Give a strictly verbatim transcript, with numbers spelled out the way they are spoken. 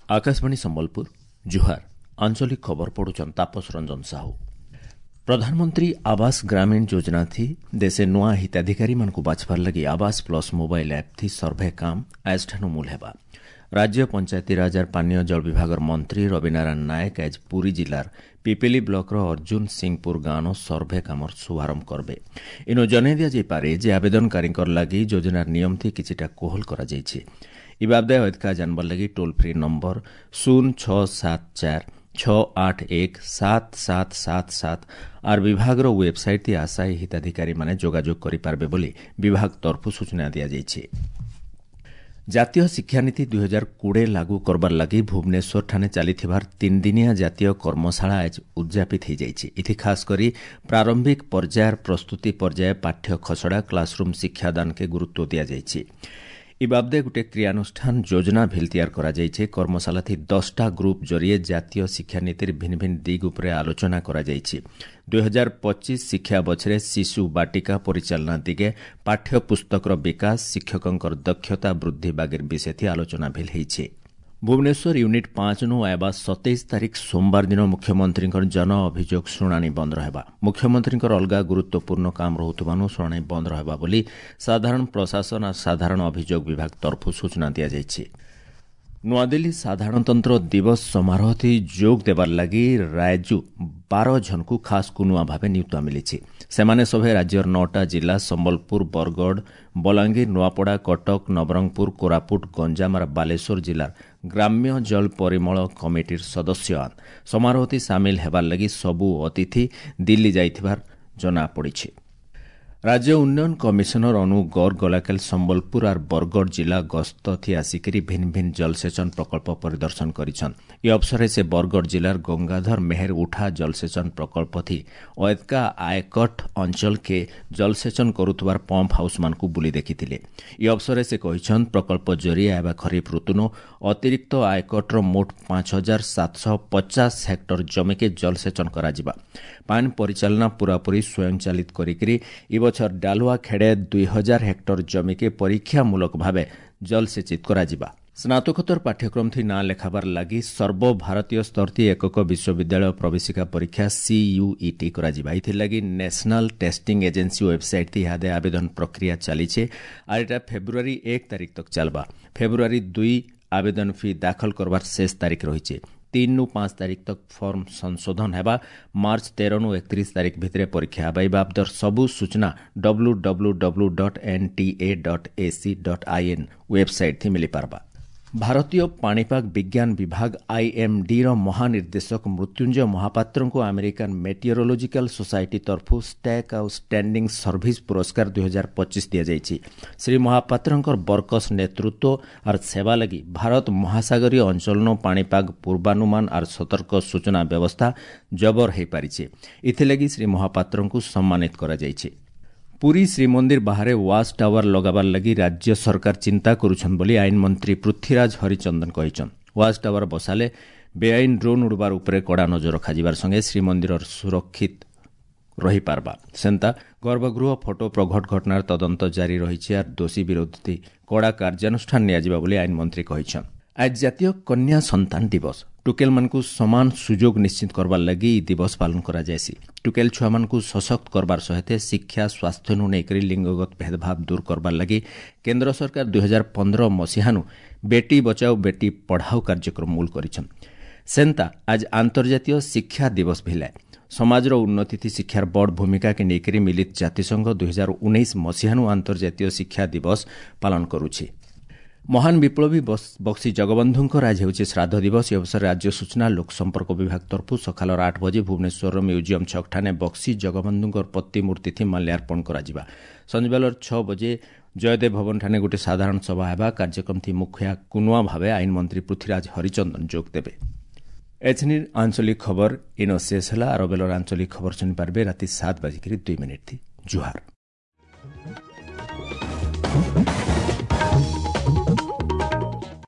ଆକାଶବାଣୀ ସମ୍ବଲପୁର ଜୁହାର ଆଞ୍ଚଳିକ ଖବର ପଢୁଛନ୍ ତାପସ ରଞ୍ଜନ ସାହୁ ପ୍ରଧାନମନ୍ତ୍ରୀ ଆବାସ ଗ୍ରାମୀଣ ଯୋଜନା ଥି ଦେଶେ ନୂଆ ହିତାଧିକାରୀମାନଙ୍କୁ ବାଛବାର ଲାଗି ଆବାସ ପ୍ଲସ୍ ମୋବାଇଲ୍ ଆପ୍ ଥି ସର୍ଭେ କାମ ଆଜଠାନୁ ମୂଲ ହେବା ରାଜ୍ୟ ପଞ୍ଚାୟତିରାଜ ଆର୍ ପାନୀୟ ଜଳ ବିଭାଗର ମନ୍ତ୍ରୀ ରବିନାରାୟଣ ନାୟକ ଆଜ ପୁରୀ ଜିଲ୍ଲାର ପିପିଲି ବ୍ଲକର ଅର୍ଜୁନ ସିଂହପୁର ଗାଁନ ସର୍ଭେ କାମର ଶୁଭାରମ୍ଭ କରବେ ଇନୁ ଜଣାଇ ଦିଆଯାଇପାରେ ଯେ ଆବେଦନକାରୀଙ୍କର ଲାଗି ଯୋଜନାର ନିୟମ ଥି କିଛିଟା କୋହଲ କରାଯାଇଛି ଇ ବାବଦେ ଅଧିକା ଜାନବାର ଲାଗି ଟୋଲ୍ ଫ୍ରି ନମ୍ବର ଶୂନ ଛଅ ସାତ ଚାରି ଛଅ ଆଠ ଏକ ସାତ ସାତ ସାତ ସାତ ଆର୍ ବିଭାଗର ୱେବସାଇଟ୍ ଥି ଆଶାୟୀ ହିତାଧିକାରୀମାନେ ଯୋଗାଯୋଗ କରିପାରିବେ ବୋଲି ବିଭାଗ ତରଫରୁ ସୂଚନା ଦିଆଯାଇଛି ଜାତୀୟ ଶିକ୍ଷାନୀତି ଦୁଇ ହଜାର କୋଡ଼ିଏ ଲାଗୁ କରବାର ଲାଗି ଭୁବନେଶ୍ୱରଠାନେ ଚାଲିଥିବାର ତିନିଦିନିଆ ଜାତୀୟ କର୍ମଶାଳା ଆଜ ଉଦ୍ଯାପିତ ହୋଇଯାଇଛି ଏଥି ଖାସ୍ କରି ପ୍ରାରମ୍ଭିକ ପର୍ଯ୍ୟାୟର ପ୍ରସ୍ତୁତି ପର୍ଯ୍ୟାୟ ପାଠ୍ୟ ଖସଡ଼ା କ୍ଲାସରୁମ୍ ଶିକ୍ଷାଦାନକେ ଗୁରୁତ୍ୱ ଦିଆଯାଇଛି ଇ ବାବଦେ ଗୋଟେ କ୍ରିୟାନୁଷ୍ଠାନ ଯୋଜନା ଭିଲ୍ ତିଆର କରାଯାଇଛି କର୍ମଶାଳା ଥି ଦଶଟା ଗ୍ରୁପ୍ ଜରିଏ ଜାତୀୟ ଶିକ୍ଷାନୀତିର ଭିନ୍ନ ଭିନ୍ନ ଦିଗ ଉପରେ ଆଲୋଚନା କରାଯାଇଛି ଦୁଇ ହଜାର ପଚିଶ ଶିକ୍ଷା ବଛରେ ଶିଶୁ ବାଟିକା ପରିଚାଳନା ଦିଗେ ପାଠ୍ୟ ପୁସ୍ତକର ବିକାଶ ଶିକ୍ଷକଙ୍କର ଦକ୍ଷତା ବୃଦ୍ଧି ବାଗିର ବିଷୟ ଥି ଆଲୋଚନା ଭିଲ୍ ହେଇଛି ଭୁବନେଶ୍ୱର ୟୁନିଟ୍ ପାଞ୍ଚ ନୁ ଆଇବା ସତେଇଶ ତାରିଖ ସୋମବାର ଦିନ ମୁଖ୍ୟମନ୍ତ୍ରୀଙ୍କର ଜନ ଅଭିଯୋଗ ଶୁଣାଣି ବନ୍ଦ ରହିବା ମୁଖ୍ୟମନ୍ତ୍ରୀଙ୍କର ଅଲଗା ଗୁରୁତ୍ୱପୂର୍ଣ୍ଣ କାମ ରହୁଥିବାରୁ ଶୁଣାଣି ବନ୍ଦ ରହିବା ବୋଲି ସାଧାରଣ ପ୍ରଶାସନ ଆଉ ସାଧାରଣ ଅଭିଯୋଗ ବିଭାଗ ତରଫରୁ ସୂଚନା ଦିଆଯାଇଛି ନୂଆଦିଲ୍ଲୀ ସାଧାରଣତନ୍ତ୍ର ଦିବସ ସମାରୋହଥି ଯୋଗ ଦେବାର ଲାଗି ରାଜ୍ୟୁ ବାର ଜଣଙ୍କୁ ଖାସ୍ କୁନୁଆ ଭାବେ ନିୟୁକ୍ତ ମିଳିଛି ସେମାନେ ସଭେ ରାଜ୍ୟର ନଅଟା ଜିଲ୍ଲା ସମ୍ବଲପୁର ବରଗଡ଼ ବଲାଙ୍ଗୀର ନୂଆପଡ଼ା କଟକ ନବରଙ୍ଗପୁର କୋରାପୁଟ ଗଞ୍ଜାମ ଆର୍ ବାଲେଶ୍ୱର ଜିଲ୍ଲାର ଗ୍ରାମ୍ୟ ଜଳ ପରିମଳ କମିଟିର ସଦସ୍ୟ ସମାରୋହଥି ସାମିଲ ହେବାର ଲାଗି ସବୁ ଅତିଥି ଦିଲ୍ଲୀ ଯାଇଥିବାର ଜଣାପଡ଼ିଛି ରାଜ୍ୟ ଉନ୍ନୟନ କମିଶନର ଅନୁ ଗର୍ଗ ଗଲାକାଲି ସମ୍ବଲପୁର ଆର୍ ବରଗଡ଼ ଜିଲ୍ଲା ଗସ୍ତ ଥି ଆସିକରି ଭିନ୍ନ ଭିନ୍ନ ଜଳସେଚନ ପ୍ରକଳ୍ପ ପରିଦର୍ଶନ କରିଛନ୍ ଏ ଅବସରରେ ସେ ବରଗଡ଼ ଜିଲ୍ଲାର ଗଙ୍ଗାଧର ମେହେର ଉଠା ଜଳସେଚନ ପ୍ରକଳ୍ପ ଥି ଅଏତକା ଆୟକଟ ଅଞ୍ଚଳକେ ଜଳସେଚନ କରୁଥିବାର ପମ୍ପ ହାଉସ୍ମାନଙ୍କୁ ବୁଲି ଦେଖିଥିଲେ ଏ ଅବସରରେ ସେ କହିଛନ୍ ପ୍ରକଳ୍ପ ଜରିଏ ଆଇବା ଖରିଫ ଋତୁନୁ ଅତିରିକ୍ତ ଆୟକଟର ମୋଟ ପାଞ୍ଚ ହଜାର ସାତଶହ ପଚାଶ ହେକ୍ଟର ଜମିକେ ଜଳସେଚନ କରାଯିବା ପାଣି ପରିଚାଳନା ପୂରାପୂରି ସ୍ୱୟଂଚାଳିତ କରିକିରି ଏ ବଛର ଡାଲୁଆ ଖେଡ଼େ ଦୁଇ ହଜାର ହେକ୍ଟର ଜମିକେ ପରୀକ୍ଷାମୂଳକ ଭାବେ ଜଳସେଚିତ କରାଯିବା ସ୍ନାତକୋତ୍ତର ପାଠ୍ୟକ୍ରମ ଥି ନାଁ ଲେଖାବାର ଲାଗି ସର୍ବଭାରତୀୟ ସ୍ତର ଥି ଏକକ ବିଶ୍ୱବିଦ୍ୟାଳୟ ପ୍ରବେଶିକା ପରୀକ୍ଷା ସିୟୁଇଟି କରାଯିବା ଏଥିଲାଗି ନ୍ୟାସନାଲ ଟେଷ୍ଟିଂ ଏଜେନ୍ସି ୱେବସାଇଟ୍ ଥି ଇହାଦେ ଆବେଦନ ପ୍ରକ୍ରିୟା ଚାଲିଛେ ଆର୍ ଏଟା ଫେବୃଆରୀ ଏକ ତାରିଖ ତକ ଚାଲବା ଫେବୃଆରୀ ଦୁଇ ଆବେଦନ ଫି ଦାଖଲ କରବାର ଶେଷ ତାରିଖ ରହିছে ତିନି ନୁ ପାଞ୍ଚ ତାରିଖ ତକ ଫର୍ମ ସଂଶୋଧନ ହେବା ମାର୍ଚ୍ଚ ତେର ନୁ ଏକତିରିଶ ତାରିଖ ଭିତରେ ପରୀକ୍ଷା ହେବା ଏ ବାବଦର ସବୁ ସୂଚନା W W W dot N T A dot A C dot I N website ଥି ମିଳିପାରବା ଭାରତୀୟ ପାଣିପାଗ ବିଜ୍ଞାନ ବିଭାଗ ଆଇଏମ୍ଡିର ମହାନିର୍ଦ୍ଦେଶକ ମୃତ୍ୟୁଞ୍ଜୟ ମହାପାତ୍ରଙ୍କୁ ଆମେରିକାନ ମେଟିଓରୋଲୋଜିକାଲ ସୋସାଇଟି ତରଫରୁ ଷ୍ଟାକ୍ ଆଉ ଷ୍ଟାଣ୍ଡିଂ ସର୍ଭିସ ପୁରସ୍କାର ଦୁଇ ହଜାର ପଚିଶ ଦିଆଯାଇଛି ଶ୍ରୀ ମହାପାତ୍ରଙ୍କର ବର୍କସ ନେତୃତ୍ୱ ଆର୍ ସେବା ଲାଗି ଭାରତ ମହାସାଗରୀୟ ଅଞ୍ଚଳନ ପାଣିପାଗ ପୂର୍ବାନୁମାନ ଆର୍ ସତର୍କ ସୂଚନା ବ୍ୟବସ୍ଥା ଜବର ହୋଇପାରିଛି ଏଥିଲାଗି ଶ୍ରୀ ମହାପାତ୍ରଙ୍କୁ ସମ୍ମାନିତ କରାଯାଇଛି ପୁରୀ ଶ୍ରୀମନ୍ଦିର ବାହାରେ ୱାଚ୍ ଟାୱାର ଲଗାବାର ଲାଗି ରାଜ୍ୟ ସରକାର ଚିନ୍ତା କରୁଛନ୍ ବୋଲି ଆଇନ ମନ୍ତ୍ରୀ ପୃଥ୍ୱୀରାଜ ହରିଚନ୍ଦନ କହିଛନ୍ ୱାଚ୍ ଟାୱାର ବସାଲେ ବେଆଇନ ଡ୍ରୋନ୍ ଉଡ଼ବାର ଉପରେ କଡ଼ା ନଜର ରଖାଯିବାର ସଙ୍ଗେ ଶ୍ରୀମନ୍ଦିରର ସୁରକ୍ଷିତ ରହିପାରବା ସେନ୍ତା ଗର୍ଭଗୃହ ଫଟୋ ପ୍ରଘଟ ଘଟଣାର ତଦନ୍ତ ଜାରି ରହିଛି ଆର୍ ଦୋଷୀ ବିରୋଧୀ କଡ଼ା କାର୍ଯ୍ୟାନୁଷ୍ଠାନ ନିଆଯିବ ବୋଲି ଆଇନ ମନ୍ତ୍ରୀ କହିଛନ୍ ଆଜ ଜାତୀୟ କନ୍ୟା ସନ୍ତାନ ଦିବସ ଟୁକେଲମାନଙ୍କୁ ସମାନ ସୁଯୋଗ ନିଶ୍ଚିତ କରବାର ଲାଗି ଇ ଦିବସ ପାଳନ କରାଯାଏସି ଟୁକେଲ ଛୁଆମାନଙ୍କୁ ସଶକ୍ତ କରବାର ସହିତ ଶିକ୍ଷା ସ୍ୱାସ୍ଥ୍ୟନୁ ନେଇକରି ଲିଙ୍ଗଗତ ଭେଦଭାବ ଦୂର କରବାର ଲାଗି କେନ୍ଦ୍ର ସରକାର ଦୁଇ ହଜାର ପନ୍ଦର ମସିହାନୁ ବେଟି ବଚାଓ ବେଟି ପଢ଼ାଓ କାର୍ଯ୍ୟକ୍ରମ ମୂଳ କରିଛନ୍ ସେନ୍ତା ଆଜ ଆନ୍ତର୍ଜାତୀୟ ଶିକ୍ଷା ଦିବସ ଭିଲାଏ ସମାଜର ଉନ୍ନତି ଶିକ୍ଷାର ବଡ଼ ଭୂମିକାକେ ନେଇକରି ମିଳିତ ଜାତିସଂଘ ଦୁଇ ହଜାର ଉଣେଇଶ ମସିହାନୁ ଆନ୍ତର୍ଜାତୀୟ ଶିକ୍ଷା ଦିବସ ପାଳନ କରୁଛି ମହାନ ବିପ୍ଳବୀ ବକ୍ସି ଜଗବନ୍ଧୁଙ୍କର ଆଜି ହେଉଛି ଶ୍ରାଦ୍ଧ ଦିବସ ଏ ଅବସରରେ ରାଜ୍ୟ ସୂଚନା ଲୋକସମ୍ପର୍କ ବିଭାଗ ତରଫରୁ ସକାଳର ଆଠ ବଜେ ଭୁବନେଶ୍ୱରର ମ୍ୟୁଜିୟମ୍ ଛକଠାନେ ବକ୍ସି ଜଗବନ୍ଧୁଙ୍କର ପ୍ରତିମୂର୍ତ୍ତି ମାଲ୍ୟାର୍ପଣ କରାଯିବା ସଞ୍ଜବେଳର ଛଅ ବଜେ ଜୟଦେବ ଭବନଠାନେ ଗୋଟିଏ ସାଧାରଣ ସଭା ହେବା କାର୍ଯ୍ୟକ୍ରମ ଥି ମୁଖିଆ କୁନୁଆ ଭାବେ ଆଇନ ମନ୍ତ୍ରୀ ପୃଥ୍ୱୀରାଜ ହରିଚନ୍ଦନ ଯୋଗ ଦେବେ ଏଛନିର ଆଞ୍ଚଳିକ ଖବର ଇନ ଶେଷ ହେଲା ଆର ବେଲର ଆଞ୍ଚଳିକ ଖବର ଶୁଣିପାରିବେ ରାତି ସାତ ବାଜିକିରି ଦୁଇ ମିନିଟ୍ ଥି ଜୁହାର